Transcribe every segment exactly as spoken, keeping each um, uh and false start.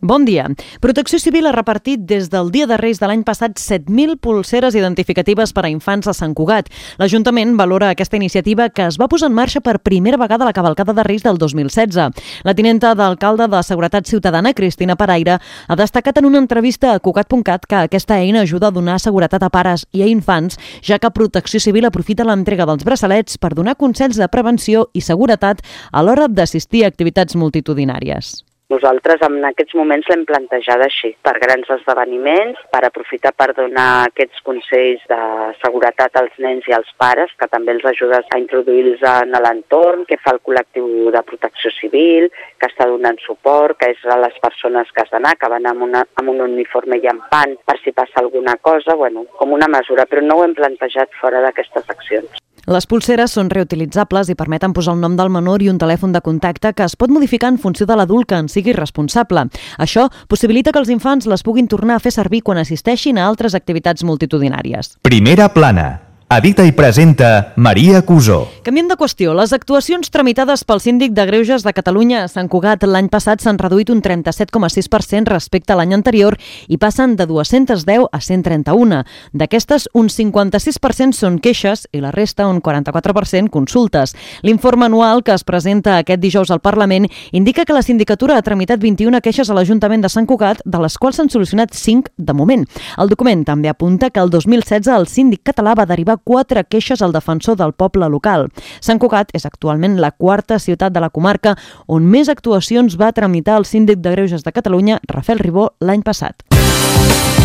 Bon dia. Protecció Civil ha repartit des del Dia de Reis de l'any passat set mil polseres identificatives per a infants a Sant Cugat. L'Ajuntament valora aquesta iniciativa que es va posar en marxa per primera vegada a la cavalcada de Reis del dos mil setze. La tinenta d'alcalde de Seguretat Ciutadana, Cristina Paraire, ha destacat en una entrevista a Cugat punt cat que aquesta eina ajuda a donar seguretat a pares i a infants, ja que Protecció Civil aprofita l'entrega dels braçalets per donar consells de prevenció i seguretat a l'hora d'assistir a activitats multitudinàries. Nosaltres en aquests moments l'hem plantejat així, per grans esdeveniments, per aprofitar per donar aquests consells de seguretat als nens i als pares, que també els ajuda a introduir-los en l'entorn, que fa el col·lectiu de protecció civil, que està donant suport, que és a les persones que has d'anar, que van amb, una, amb un uniforme llampant per si passa alguna cosa, bueno, com una mesura, però no ho hem plantejat fora d'aquestes accions. Les polseres són reutilitzables i permeten posar el nom del menor i un telèfon de contacte que es pot modificar en funció de l'adult que en sigui responsable. Això possibilita que els infants les puguin tornar a fer servir quan assisteixin a altres activitats multitudinàries. Primera plana. Edita i presenta Maria Cusó. Canviem de qüestió. Les actuacions tramitades pel Síndic de Greuges de Catalunya a Sant Cugat l'any passat s'han reduït un trenta-set coma sis per cent respecte a l'any anterior i passen de dues-centes deu a cent trenta-una. D'aquestes, un cinquanta-sis per cent són queixes i la resta, un quaranta-quatre per cent, consultes. L'informe anual que es presenta aquest dijous al Parlament indica que la sindicatura ha tramitat vint-i-una queixes a l'Ajuntament de Sant Cugat, de les quals s'han solucionat cinc de moment. El document també apunta que el dos mil setze el síndic català va derivar quatre queixes al defensor del poble local. Sant Cugat és actualment la quarta ciutat de la comarca on més actuacions va tramitar el Síndic de Greuges de Catalunya, Rafael Ribó, l'any passat.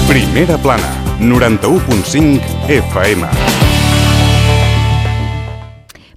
Primera plana, noranta-u punt cinc F M.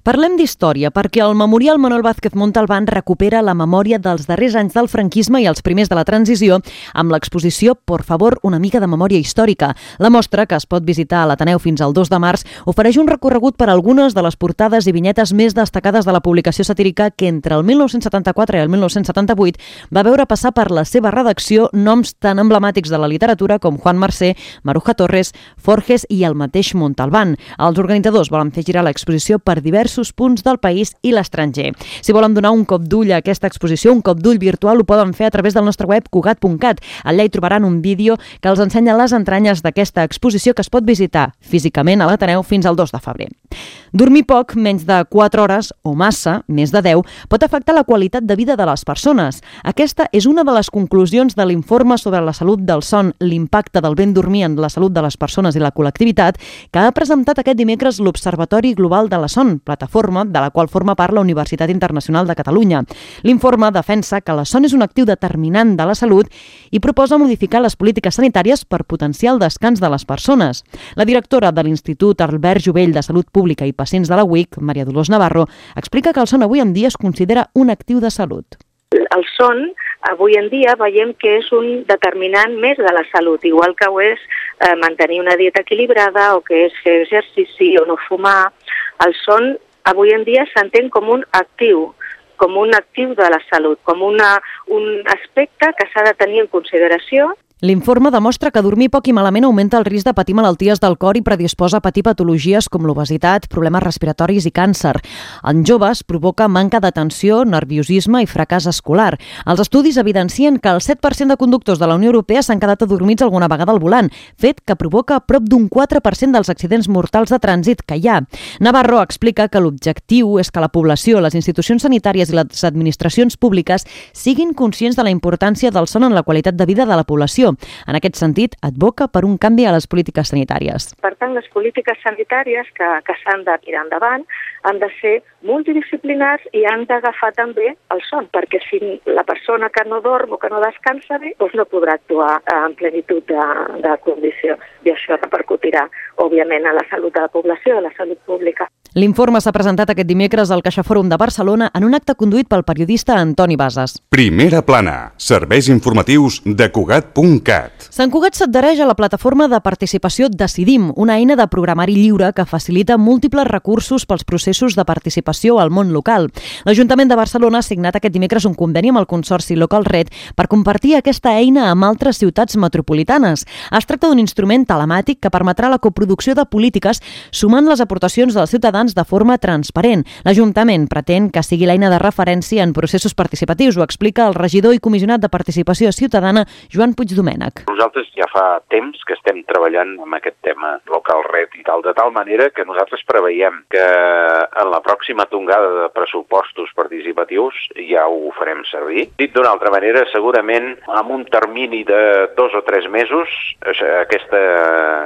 Parlem d'història perquè el Memorial Manuel Vázquez Montalbán recupera la memòria dels darrers anys del franquisme i els primers de la transició amb l'exposició Por favor, una mica de memòria històrica. La mostra, que es pot visitar a l'Ateneu fins al dos de març, ofereix un recorregut per algunes de les portades i vinyetes més destacades de la publicació satírica que entre el mil nou-cents setanta-quatre i el mil nou-cents setanta-vuit va veure passar per la seva redacció noms tan emblemàtics de la literatura com Juan Marsé, Maruja Torres, Forges i el mateix Montalbán. Els organitzadors volen fer girar l'exposició per diversos punts del país i l'estranger. Si volen donar un cop d'ull a aquesta exposició, un cop d'ull virtual, ho poden fer a través del nostre web cugat punt cat. Allà hi trobaran un vídeo que els ensenya les entranyes d'aquesta exposició que es pot visitar físicament a l'Ateneu fins al dos de febrer. Dormir poc, menys de quatre hores, o massa, més de deu, pot afectar la qualitat de vida de les persones. Aquesta és una de les conclusions de l'informe sobre la salut del son, l'impacte del ben dormir en la salut de les persones i la col·lectivitat, que ha presentat aquest dimecres l'Observatori Global de la Son, plataforma de la qual forma part la Universitat Internacional de Catalunya. L'informe defensa que la son és un actiu determinant de la salut i proposa modificar les polítiques sanitàries per potenciar el descans de les persones. La directora de l'Institut Albert Jovell de Salut Pública i Pacients de la U I C, Maria Dolors Navarro, explica que el son avui en dia es considera un actiu de salut. El son, avui en dia, veiem que és un determinant més de la salut, igual que ho és eh, mantenir una dieta equilibrada o que és fer exercici o no fumar. El son, avui en dia, s'entén com un actiu, com un actiu de la salut, com una, un aspecte que s'ha de tenir en consideració. L'informe demostra que dormir poc i malament augmenta el risc de patir malalties del cor i predisposa a patir patologies com l'obesitat, problemes respiratoris i càncer. En joves provoca manca d'atenció, nerviosisme i fracàs escolar. Els estudis evidencien que el set per cent de conductors de la Unió Europea s'han quedat adormits alguna vegada al volant, fet que provoca prop d'un quatre per cent dels accidents mortals de trànsit que hi ha. Navarro explica que l'objectiu és que la població, les institucions sanitàries i les administracions públiques siguin conscients de la importància del son en la qualitat de vida de la població. En aquest sentit, advoca per un canvi a les polítiques sanitàries. Per tant, les polítiques sanitàries que, que s'han de tirar endavant han de ser multidisciplinars i han d'agafar també el son, perquè si la persona que no dorm o que no descansa bé, doncs no podrà actuar en plenitud de, de condició. I això repercutirà, òbviament, a la salut de la població, a la salut pública. L'informe s'ha presentat aquest dimecres al CaixaFòrum de Barcelona en un acte conduït pel periodista Antoni Bases. Primera plana, serveis informatius de Cugat punt punt cat. Sant Cugat s'adhereix a la plataforma de participació Decidim, una eina de programari lliure que facilita múltiples recursos pels processos de participació al món local. L'Ajuntament de Barcelona ha signat aquest dimecres un conveni amb el Consorci Local Red per compartir aquesta eina amb altres ciutats metropolitanes. Es tracta d'un instrument telemàtic que permetrà la coproducció de polítiques sumant les aportacions dels ciutadans de forma transparent. L'Ajuntament pretén que sigui l'eina de referència en processos participatius, ho explica el regidor i comissionat de Participació Ciutadana, Joan Puigdomènech. Nosaltres ja fa temps que estem treballant amb aquest tema local red i tal, de tal manera que nosaltres preveiem que en la pròxima tongada de pressupostos participatius ja ho farem servir. Dit d'una altra manera, segurament amb un termini de dos o tres mesos aquesta,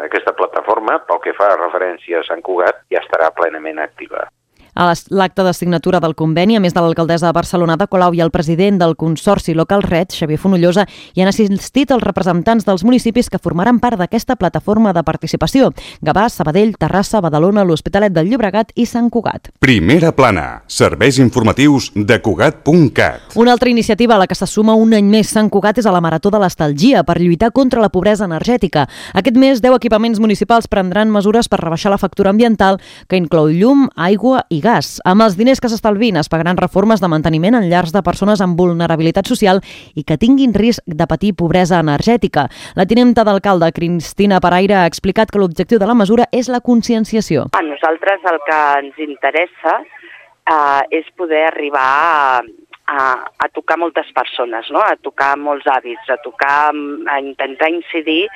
aquesta plataforma, pel que fa a referència a Sant Cugat, ja estarà plenament activa. A l'acte de signatura del conveni, a més de l'alcaldessa de Barcelona de Colau i el president del Consorci Local Red, Xavier Fonollosa, hi han assistit els representants dels municipis que formaran part d'aquesta plataforma de participació: Gavà, Sabadell, Terrassa, Badalona, l'Hospitalet del Llobregat i Sant Cugat. Primera plana. Serveis informatius de Cugat punt cat. Una altra iniciativa a la que se suma un any més Sant Cugat és a la Marató de l'Estalgia per lluitar contra la pobresa energètica. Aquest mes, deu equipaments municipals prendran mesures per rebaixar la factura ambiental, que inclou llum, aigua i gas. Amb els diners que s'estalvin es pagaran reformes de manteniment en llars de persones amb vulnerabilitat social i que tinguin risc de patir pobresa energètica. La tinenta d'alcalde, Cristina Paraire, ha explicat que l'objectiu de la mesura és la conscienciació. A nosaltres el que ens interessa eh, és poder arribar a, a, a tocar moltes persones, no? A tocar molts hàbits, a tocar, a intentar incidir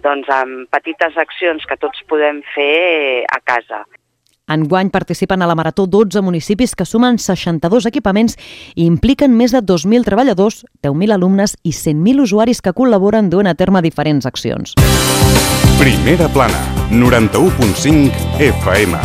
doncs, en petites accions que tots podem fer a casa. Enguany participen a la Marató dotze municipis que sumen seixanta-dos equipaments i impliquen més de dos mil treballadors, deu mil alumnes i cent mil usuaris que col·laboren duent a terme diferents accions. Primera plana, noranta-u punt cinc F M.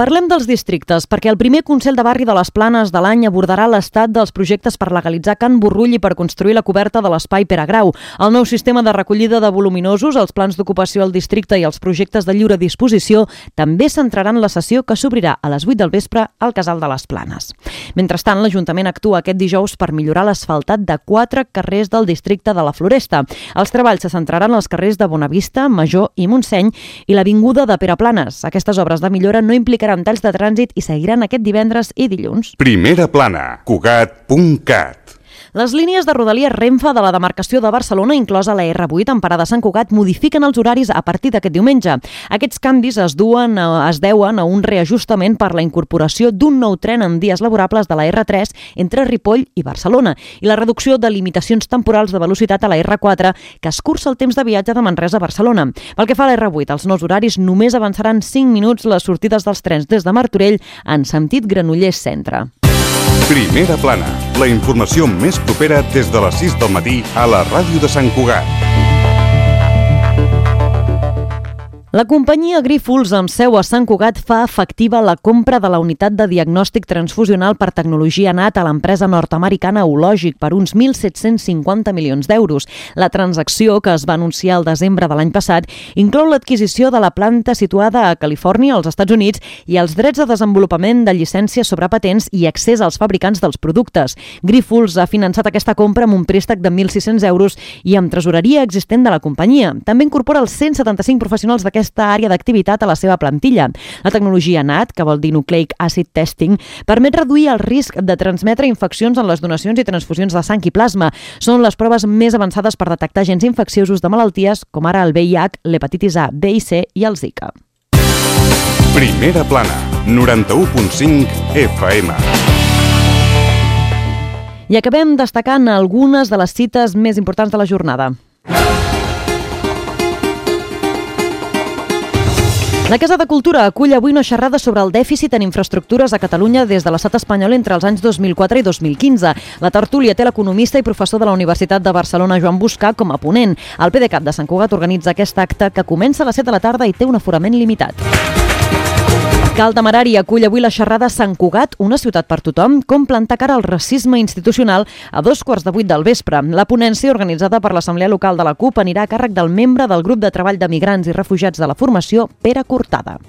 Parlem dels districtes, perquè el primer Consell de Barri de les Planes de l'any abordarà l'estat dels projectes per legalitzar Can Borrull i per construir la coberta de l'espai Pere Grau. El nou sistema de recollida de voluminosos, els plans d'ocupació al districte i els projectes de lliure disposició també centraran la sessió que s'obrirà a les vuit del vespre al Casal de les Planes. Mentrestant, l'Ajuntament actua aquest dijous per millorar l'asfaltat de quatre carrers del districte de la Floresta. Els treballs se centraran als carrers de Bonavista, Major i Montseny i l'avinguda de Pere Planes. Aquestes obres de millora no implicaran talls de trànsit i seguiran aquest divendres i dilluns. Primera plana, Cugat punt cat. Les línies de Rodalies Renfe de la demarcació de Barcelona, inclosa la erre vuit en parada a Sant Cugat, modifiquen els horaris a partir d'aquest diumenge. Aquests canvis es duen es deuen a un reajustament per la incorporació d'un nou tren en dies laborables de la erre tres entre Ripoll i Barcelona i la reducció de limitacions temporals de velocitat a la erre quatre que escurça el temps de viatge de Manresa a Barcelona. Pel que fa a l'erre vuit, els nous horaris només avançaran cinc minuts les sortides dels trens des de Martorell en sentit Granollers Centre. Primera plana, la informació més propera des de les sis del matí a la ràdio de Sant Cugat. La companyia Grífols, amb seu a Sant Cugat, fa efectiva la compra de la unitat de diagnòstic transfusional per tecnologia N A T a l'empresa nord-americana Ologic per uns mil set-cents cinquanta milions d'euros. La transacció, que es va anunciar el desembre de l'any passat, inclou l'adquisició de la planta situada a Califòrnia, als Estats Units, i els drets de desenvolupament de llicències sobre patents i accés als fabricants dels productes. Grífols ha finançat aquesta compra amb un préstec de mil sis-cents euros i amb tresoreria existent de la companyia. També incorpora els cent setanta-cinc professionals d'aquesta aquesta àrea d'activitat a la seva plantilla. La tecnologia N A T, que vol dir Nucleic Acid Testing, permet reduir el risc de transmetre infeccions en les donacions i transfusions de sang i plasma. Són les proves més avançades per detectar agents infecciosos de malalties com ara el ve i hac, l'hepatitis A, B i C i el Zika. Primera plana, noranta-u punt cinc F M. I acabem destacant algunes de les cites més importants de la jornada. La Casa de Cultura acull avui una xerrada sobre el dèficit en infraestructures a Catalunya des de l'estat espanyol entre els anys dos mil quatre i dos mil quinze. La tertúlia té l'economista i professor de la Universitat de Barcelona, Joan Buscà, com a ponent. El PDeCAT de Sant Cugat organitza aquest acte que comença a les set de la tarda i té un aforament limitat. Cal Temerari acull avui la xerrada Sant Cugat, una ciutat per tothom, com plantar cara al racisme institucional a dos quarts de vuit del vespre. La ponència, organitzada per l'Assemblea Local de la CUP, anirà a càrrec del membre del grup de treball de migrants i refugiats de la formació, Pere Cortada.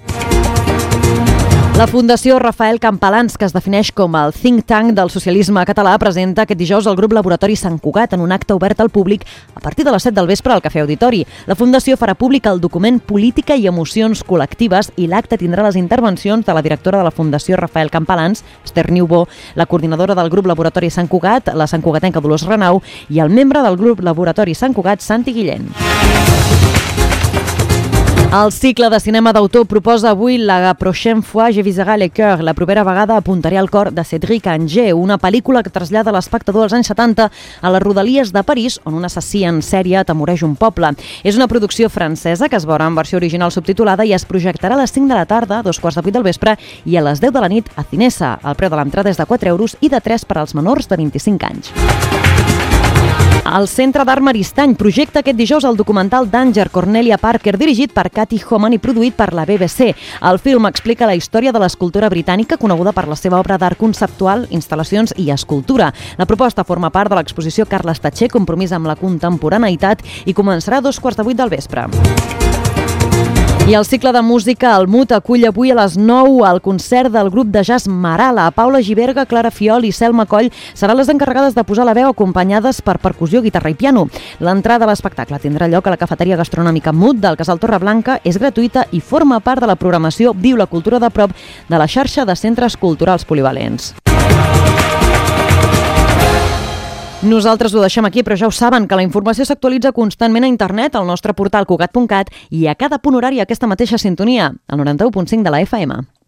La Fundació Rafael Campalans, que es defineix com el think tank del socialisme català, presenta aquest dijous el grup Laboratori Sant Cugat en un acte obert al públic a partir de les set del vespre al Cafè Auditori. La Fundació farà públic el document Política i emocions col·lectives i l'acte tindrà les intervencions de la directora de la Fundació Rafael Campalans, Esther Niubó, la coordinadora del grup Laboratori Sant Cugat, la santcugatenca Dolors Renau, i el membre del grup Laboratori Sant Cugat, Santi Guillén. El cicle de cinema d'autor proposa avui La prochaine fois je viserai le cœur, la propera vegada apuntaré al cor de Cédric Angers, una pel·lícula que trasllada l'espectador als anys setanta a les rodalies de París, on un assassí en sèrie atemoreix un poble. És una producció francesa que es veurà en versió original subtitulada i es projectarà a les cinc de la tarda, a dos quarts de vuit del vespre i a les deu de la nit a Cinesa. El preu de l'entrada és de quatre euros i de tres per als menors de vint-i-cinc anys. El Centre d'Art Maristany projecta aquest dijous el documental Danger, Cornelia Parker, dirigit per Cathy Homan i produït per la B B C. El film explica la història de l'escultura britànica, coneguda per la seva obra d'art conceptual, instal·lacions i escultura. La proposta forma part de l'exposició Carles Tatxer, compromís amb la contemporaneïtat, i començarà a dos quarts de vuit del vespre. I el cicle de música El Mut acull avui a les nou el concert del grup de jazz Marala. Paula Giberga, Clara Fiol i Selma Coll seran les encarregades de posar la veu, acompanyades per percussió, guitarra i piano. L'entrada a l'espectacle tindrà lloc a la cafeteria gastronòmica Mut del Casal Torreblanca, és gratuïta i forma part de la programació Viu la cultura de prop de la xarxa de centres culturals polivalents. Nosaltres ho deixem aquí, però ja ho saben, que la informació s'actualitza constantment a internet, al nostre portal cugat punt cat i a cada punt horari a aquesta mateixa sintonia, al noranta-u punt cinc de la F M.